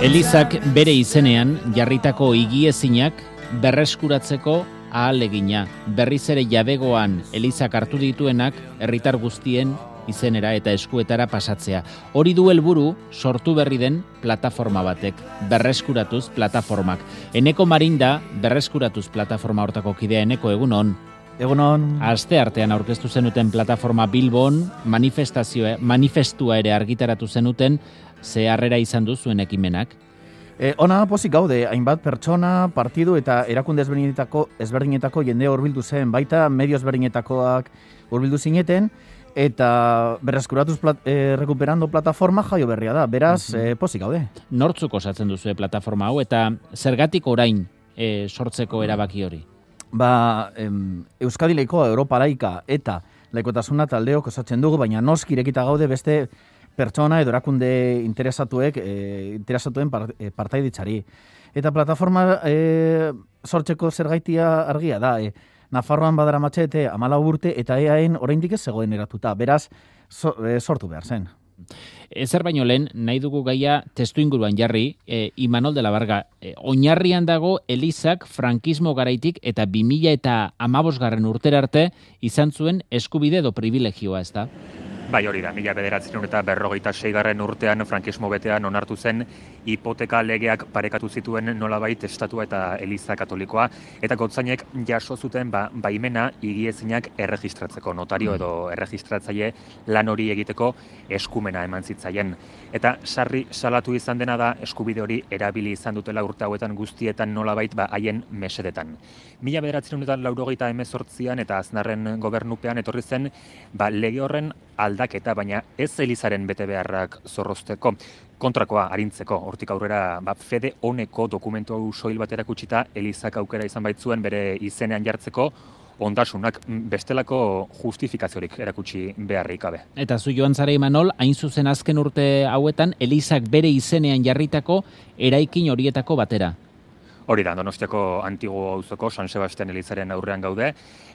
Elizak bere izenean jarritako higiezinak berreskuratzeko ahalegina. Berriz ere jabegoan Elizak hartu dituenak herritar guztien izenera eta eskuetara pasatzea. Hori du helburu sortu berri den plataforma batek, berreskuratuz plataformak. Eneko Marinda, berreskuratuz plataforma hortako kidea. Eneko, egunon. Egunon. Aste artean aurkeztu zenuten plataforma Bilbon, manifestua ere argitaratu zenuten, ze harrera izan du zuen ekimenak? Ona pozik gaude, hainbat pertsona, partidu eta erakunde ezberdinetako jende hurbildu zen, baita medio ezberdinetakoak hurbildu zineten, eta berreskuratuz rekuperando plataforma jaio berria da, beraz pozik gaude. Nortzuk osatzen duzu plataforma hau eta zergatik orain sortzeko erabaki hori? Euskadi Laikoa, Europa Laika eta Laikotasuna taldeok osatzen dugu, baina noski irekita gaude beste pertsona edo erakunde interesatuen partaiditzari. Eta plataforma sortzeko zergaitia argia da, Nafarroan badaramatze 14 urte eta EAen oraindik ez zegoen eratuta, beraz sortu behar zen. Ezer baino lehen, nahi dugu gaia testu inguruan jarri, Imanol de la Varga, oinarrian dago Elizak frankismo garaitik eta 2015 urtera arte izan zuen eskubide edo privilegioa, ez da? Bai, hori da, 1956 urtean frankismo betean onartu zen hipoteka legeak parekatu zituen nolabait estatua eta Eliza katolikoa, eta gotzainek jaso zuten baimena higiezinak erregistratzeko, notario edo erregistratzaile lan hori egiteko eskumena eman zitzaien. Eta sarri salatu izan dena da eskubide hori erabili izan dutela urte hauetan guztietan nolabait haien mesedetan. 1998an eta Aznarren gobernupean etorri zen lege horren aldaketa, baina ez Elizaren betebeharrak zorrozteko, kontrakoa arintzeko. Hortik aurrera fede oneko dokumentu soil bat erakutsita Elizak aukera izan baitzuen bere izenean jartzeko ondasunak bestelako justifikaziorik erakutsi beharrik gabe. Eta zu joan zara Imanol, hain zuzen azken urte hauetan Elizak bere izenean jarritako eraikin horietako batera. Hori da, Donostiako Antigo auzoko San Sebastian Elizaren aurrean gaude,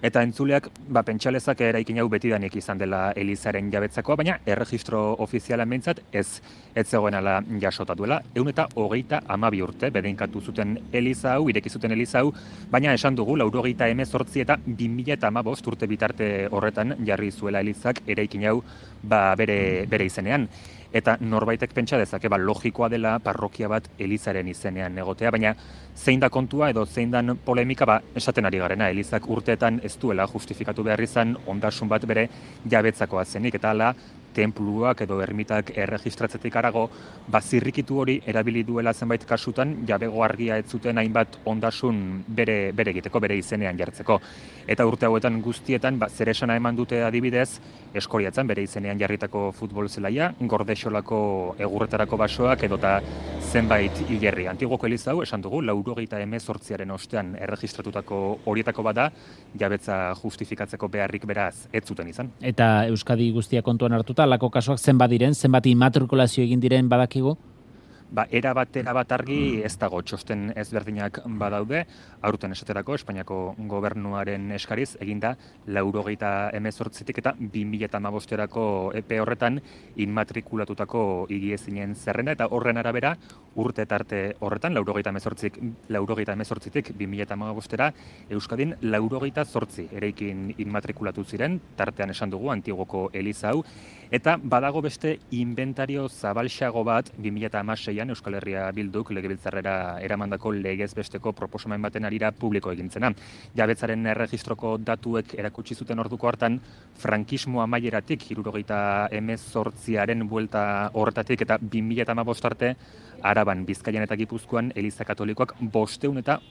eta entzuleak pentsalezak eraikin hau betidanik izan dela Elizaren jabetzakoa, baina erregistro ofizialan behintzat ez zegoen ala jasota duela. 122 urte bedeinkatu zuten Eliza hau, ireki zuten Eliza hau, baina esan dugu 1918 eta 2015 urte bitarte horretan jarri zuela Elizak eraikin hau bere izenean. Eta norbaitek pentsa dezake logikoa dela parrokia bat Elizaren izenean egotea, baina zein da kontua edo zein dan polemika esaten ari garena. Elizak urteetan ez duela justifikatu behar izan ondasun bat bere jabetzakoa zenik, eta hala tenpluak edo ermitak erregistratzetik arago, zirrikitu hori erabili duela zenbait kasutan, jabego argia ez zuten hainbat ondasun bere egiteko, bere izenean jartzeko. Eta urte hauetan guztietan, zer esana eman dute adibidez, Eskoriatzen bere izenean jarritako futbol zelaia, Gordexolako egurretarako basoak edota zenbait hilerri. Antigoko Eliza hau, esan dugu, 1918 ostean erregistratutako horietako bada, jabetza justifikatzeko beharrik beraz ez zuten izan. Eta Euskadi guztia kontuan hartuta, lako kasuak zenbat diren, zenbat immatrikulazio egin diren badakigu? Erabat argi ez dago, txosten ezberdinak badaude, aurten esaterako Espainiako gobernuaren eskariz eginda 1918tik eta 2015erako epe horretan inmatrikulatutako higiezinen zerrenda, eta horren arabera urte tarte horretan 1918tik 2015era Euskadin 98 eraikin inmatrikulatu ziren, tartean esan dugu Antigoko Eliza hau, eta badago beste inventario zabalxago bat 2016 Euskal Herria Bilduk legebiltzarrera eramandako legez besteko proposamen baten arira publiko egintzena. Jabetzaren erregistroko datuek erakutsi zuten orduko hartan, frankismo amaieratik 1918aren buelta horretatik eta 2015 arte, Araban, Bizkaian eta Gipuzkoan Eliza Katolikoak 530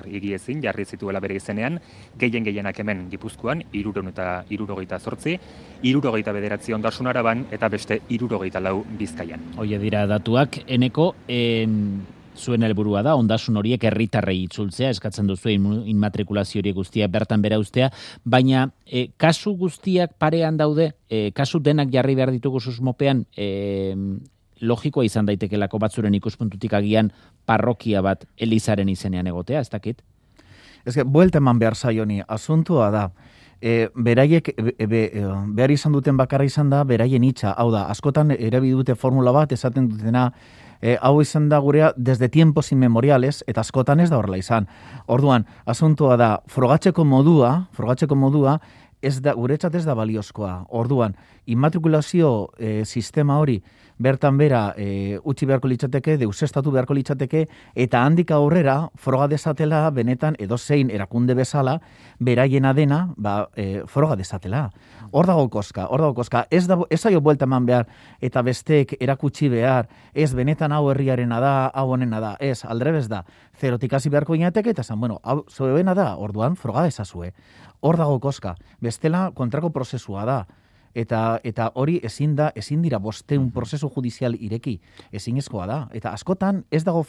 higiezin jarri zituela bere izenean, gehienak hemen Gipuzkoan 378, 69 ondasun Araban eta beste 64 Bizkaian. Hoie dira datuak, Eneko, zuen helburua da, ondasun horiek herritarrei itzultzea, eskatzen duzu inmatrikulazio horiek guztiak bertan bera ustea, baina kasu guztiak parean daude, kasu denak jarri behar ditugu susmopean, logikoa izan daitekelako batzuren ikuspuntutik agian parrokia bat Elizaren izenean egotea, ez dakit? Ez que, buelta eman behar zaioni, asuntua da, beraiek behar izan duten bakarra izan da, beraien hitza, hau da, askotan erabili dute formula bat, esaten dutena, hau izan da gurea desde tiempos inmemoriales, eta askotan ez da horrela izan. Orduan, asuntoa da, frogatzeko modua, guretzat ez da baliozkoa. Orduan, immatrikulazio sistema hori bertan bera utzi beharko litzateke, deusestatu beharko litzateke, eta handik aurrera froga desatela benetan edozein erakunde bezala, beraiena dena froga desatela. Hor dago koska. Ez zaio buelta eman behar, eta besteek erakutsi behar, ez benetan hau herriarena da, hau honena da, ez, aldrebez da, zerotik hasi beharko inateke, eta zan, hau zoebena da, orduan froga desazue. Hor dago koska. Bestela kontrako prozesua da. Eta hori ezin dira 500 prozesu judizial ireki, ezinezkoa da. Eta askotan ez dago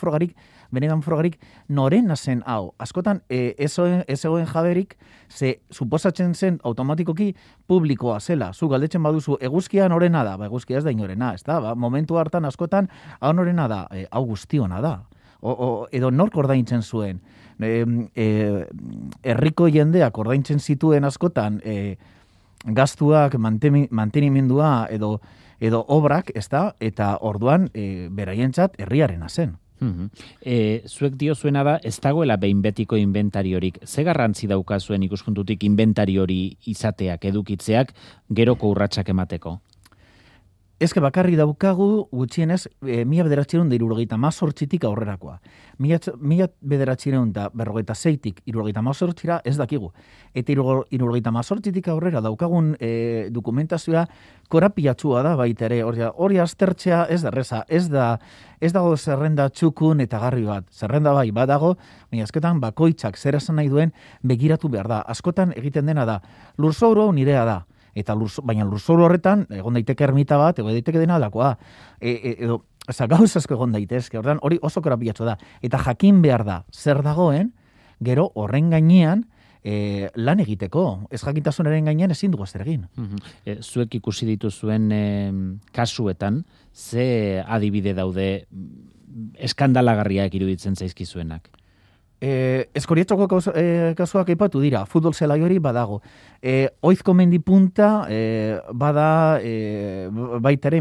benetan frogarik norena zen hau. Askotan ez egoen jaberik, ze suposatzen zen automatikoki publikoa zela. Zu galdetzen baduzu, eguzkia norena da? Eguzkia ez da inorena, ez da? Momentu hartan askotan, hau norena da? Hau guztiona da. Edo nork ordaintzen zuen. Herriko jendeak ordaintzen zituen askotan, gastuak, mantenimendua edo obrak, ez da, eta orduan beraientzat herriarena zen. Zuek diozuena da, ez dagoela behin betiko inventariorik. Ze garrantzi dauka zuen ikuspuntutik inventariori izateak, edukitzeak, geroko urratsak emateko? Ezke bakarri daukagu gutxienez 1978tik aurrerakoa. 1956tik 78ra ez dakigu. Eta 78tik aurrera daukagun dokumentazioa korapilatsua da baita ere. Hori aztertzea ez da erreza, ez dago zerrenda txukun eta garri bat. Zerrenda bai badago, baina azketan bakoitzak zer esan nahi duen begiratu behar da. Askotan egiten dena da, lurzoru hau nirea da. Baina lurzoru horretan, egon daiteke ermita bat, egon daiteke dena alakoa. Edo, gauz asko egon daitezke, ordan hori oso korapilatxo da. Eta jakin behar da, zer dagoen, gero horren gainean lan egiteko. Ez jakintasunaren gainean ezin dugu zer egin. Zuek ikusi dituzuen kasuetan, ze adibide daude eskandalagarriak iruditzen zaizkizuenak? Eskorietxoko kasuak aipatu dira, futbol zelai hori badago. Oizko mendi punta bada baitere,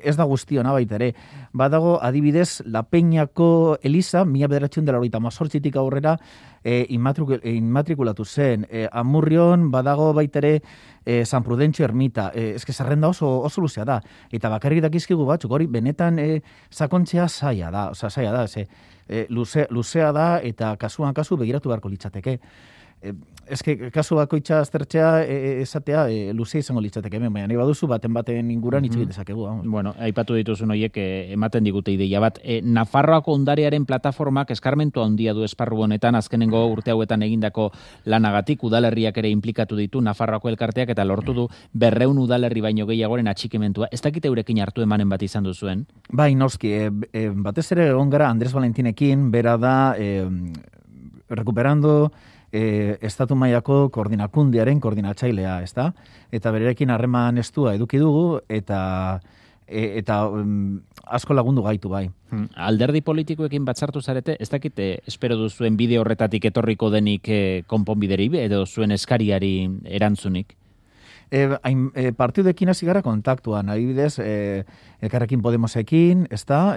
ez da guztiona baitere. Badago adibidez La Peñako Eliza, 1998tik aurrera inmatrikulatu zen. Amurrion badago baitere San Prudentzio ermita. Eske zerrenda oso luzea da. Eta bakarrik dakizkigu batzuk, hori benetan sakontzea zaila da. Luzea da eta kasuan kasu begiratu beharko litzateke. Eske kasu bakoitza aztertzea esatea luzea izango litzateke, baina nahi baduzu baten inguran hitz egin dezakegu. Bueno, aipatu dituzun horiek ematen digute ideia bat. Nafarroako ondarearen plataformak eskarmentu handia du esparru honetan, azkenengo urte hauetan egindako lanagatik, udalerriak ere implikatu ditu Nafarroako elkarteak eta lortu du 200 udalerri baino gehiagoren atxikimentua. Ez dakite eurekin hartu emanen bat izan duzuen? Bai, noski, batez ere egon gara Andres Valentinekin, bera da recuperando estatu mailako koordinakundiaren koordinatzailea, ezta? Eta bererekin harreman estua eduki dugu eta asko lagundu gaitu bai. Alderdi politikoekin batzartu zarete, ez dakite espero duzuen bide horretatik etorriko denik konponbideri edo zuen eskariari erantzunik? Partiduekin hasi gara kontaktuan, adibidez, Elkarrekin Podemosekin, ezta?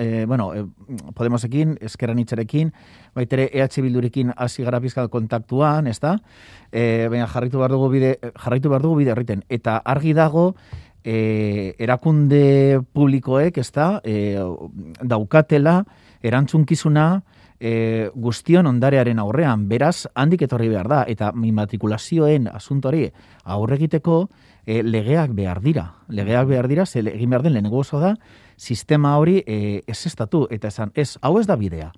Podemosekin, Ezker Anitzarekin, baitere EH Bildurekin hasi gara pizkat kontaktuan, ezta? Baina jarraitu behar dugu bide horriten. Eta argi dago, erakunde publikoek, ezta? Daukatela, erantzunkizuna, guztion ondarearen aurrean, beraz, handik etorri behar da, eta immatrikulazioen asuntori aurregiteko legeak behar dira. Ze egin behar den lehenengo oso da, sistema hori ez estatu, eta esan, hau ez da bidea.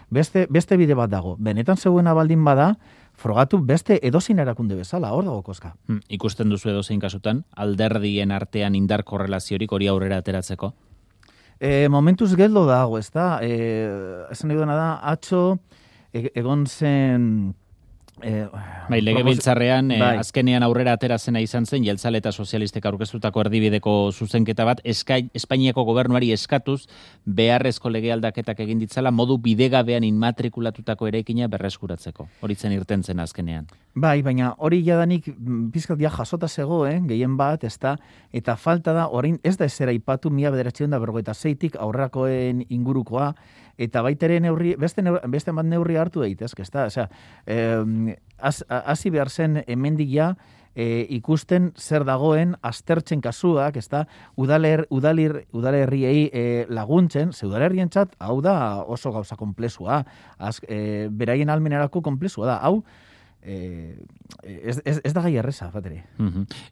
Beste bide bat dago. Benetan zeuena baldin bada, frogatu beste edozein erakunde bezala, hor dago koska. Ikusten duzu edozein kasutan, alderdien artean indar korrelaziorik hori aurrera ateratzeko? Momentuz geldo dago, ez da? Esan nahi duena da, atzo egon zen Legebiltzarrean azkenean aurrera atera zena izan zen jeltzale eta sozialistek aurkeztutako erdibideko zuzenketa bat Espainiako gobernuari eskatuz beharrezko lege aldaketak egin ditzala modu bidegabean inmatrikulatutako eraikina berreskuratzeko. Hori zen irten zen azkenean. Bai, baina hori jadanik pizkat jasota zegoen, gehien bat, eta falta da, orain ez da ezera ipatu 1996tik aurrerakoen ingurukoa, eta baitere beste bat neurri hartu daitezke, ezta? Osea, hasi behar zen hemendik ja ikusten zer dagoen aztertzen kasuak, ezta? Udalerriei laguntzen, ze udalerrientzat hau da oso gauza konplexua, beraien almenerako konplexua da, hau ez da gai erreza, batere.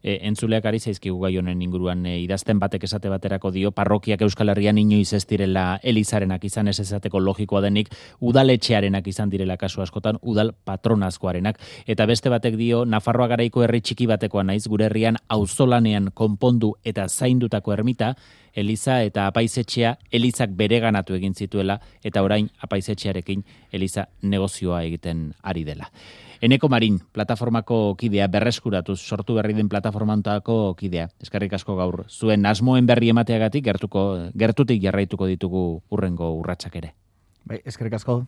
Entzuleak ari zaizkigu gai honen inguruan idazten batek esate baterako dio, parrokiak Euskal Herrian inoiz ez direla elizarenak izan ez esateko logikoa denik, udaletxearenak izan direla kasu askotan, udal patronazkoarenak. Eta beste batek dio, Nafarroa garaiko herri txiki batekoa naiz, gure herrian auzolanean konpondu eta zaindutako ermita, Eliza eta apaizetxea Elizak bereganatu egin zituela eta orain apaizetxearekin Eliza negozioa egiten ari dela. Eneko Marin, plataformako kidea berreskuratuz, sortu berri den plataformantako kidea. Eskerrik asko gaur. Zuen asmoen berri emateagatik gertutik jarraituko ditugu hurrengo urratsak ere. Bai, eskerrik asko.